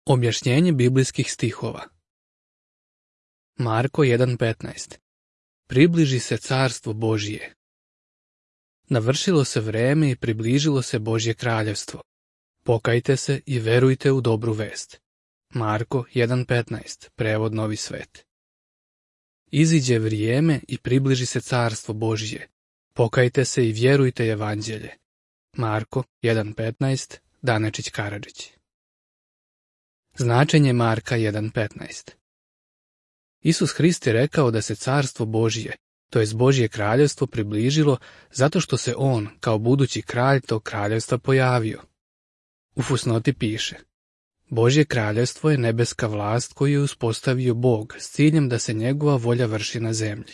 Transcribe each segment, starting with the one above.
Objašnjenje biblijskih stihova. Marko 1.15. Približi se carstvo Božije. Navršilo se vreme i približilo se Božje kraljevstvo. Pokajte se i verujte u dobru vest. Marko 1.15. Prevod Novi svet. Iziđe vrijeme i približi se carstvo Božje. Pokajte se i vjerujte evanđelje. Marko 1.15. Danečić Karadžić. Značenje Marka 1.15. Isus Hrist je rekao da se carstvo Božje, to jest Božje kraljevstvo, približilo zato što se on, kao budući kralj tog kraljevstva, pojavio. U fusnoti piše: Božje kraljevstvo je nebeska vlast koju je uspostavio Bog s ciljem da se njegova volja vrši na zemlji.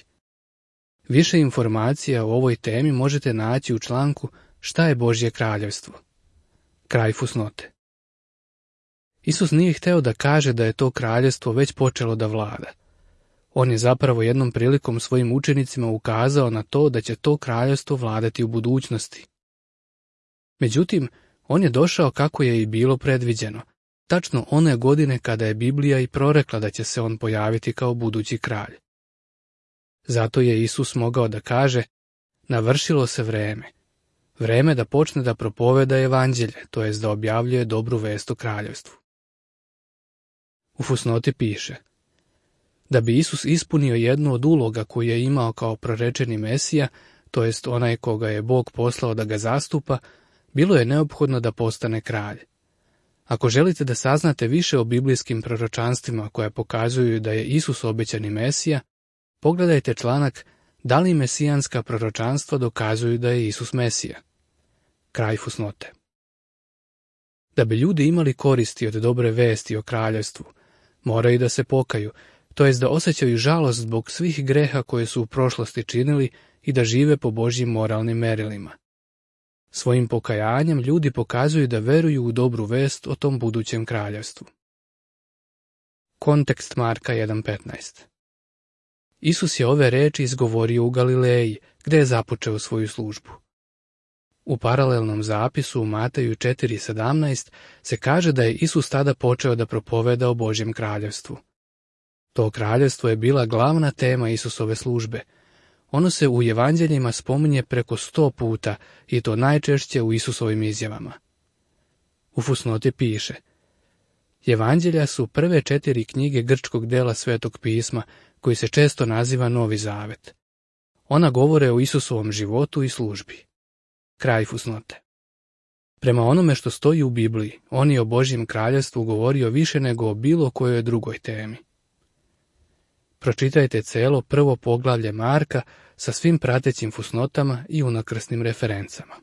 Više informacija o ovoj temi možete naći u članku Šta je Božje kraljevstvo? Kraj fusnote. Isus nije hteo da kaže da je to kraljevstvo već počelo da vlada. On je zapravo jednom prilikom svojim učenicima ukazao na to da će to kraljevstvo vladati u budućnosti. Međutim, on je došao kako je i bilo predviđeno, tačno one godine kada je Biblija i prorekla da će se on pojaviti kao budući kralj. Zato je Isus mogao da kaže: navršilo se vreme. Vreme da počne da propoveda evanđelje, to jest da objavljuje dobru vest o kraljevstvu. U fusnoti piše: da bi Isus ispunio jednu od uloga koju je imao kao prorečeni Mesija, to jest onaj koga je Bog poslao da ga zastupa, bilo je neophodno da postane kralj. Ako želite da saznate više o biblijskim proročanstvima koja pokazuju da je Isus obećani Mesija, pogledajte članak Da li mesijanska proročanstva dokazuju da je Isus Mesija? Kraj fusnote. Da bi ljudi imali koristi od dobre vesti o kraljevstvu, moraju da se pokaju, to jest da osjećaju žalost zbog svih greha koje su u prošlosti činili i da žive po Božjim moralnim merilima. Svojim pokajanjem ljudi pokazuju da veruju u dobru vest o tom budućem kraljevstvu. Kontekst Marka 1.15. Isus je ove reči izgovorio u Galileji, gde je započeo svoju službu. U paralelnom zapisu u Mateju 4.17 se kaže da je Isus tada počeo da propoveda o Božjem kraljevstvu. To kraljevstvo je bila glavna tema Isusove službe. Ono se u evanđeljima spominje preko 100 puta i to najčešće u Isusovim izjavama. U fusnoti piše: Evanđelja su prve 4 knjige grčkog dela Svetog pisma, koji se često naziva Novi zavet. Ona govore o Isusovom životu i službi. Kraj fusnote. Prema onome što stoji u Bibliji, on je o Božjem kraljevstvu govorio više nego o bilo kojoj drugoj temi. Pročitajte celo prvo poglavlje Marka sa svim pratećim fusnotama i unakrsnim referencama.